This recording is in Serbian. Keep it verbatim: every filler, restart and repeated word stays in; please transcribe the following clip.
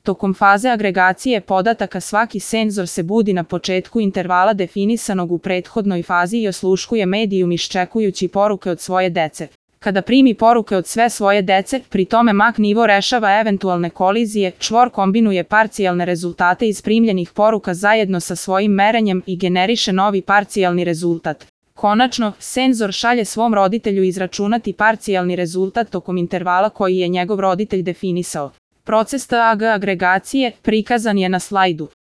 Tokom faze agregacije podataka svaki senzor se budi na početku intervala definisanog u prethodnoj fazi i osluškuje medijum iščekujući poruke od svoje dece. Kada primi poruke od sve svoje dece, pri tome Mach nivo rešava eventualne kolizije, čvor kombinuje parcijalne rezultate iz primljenih poruka zajedno sa svojim merenjem i generiše novi parcijalni rezultat. Konačno, senzor šalje svom roditelju izračunati parcijalni rezultat tokom intervala koji je njegov roditelj definisao. Proces T A G agregacije prikazan je na slajdu.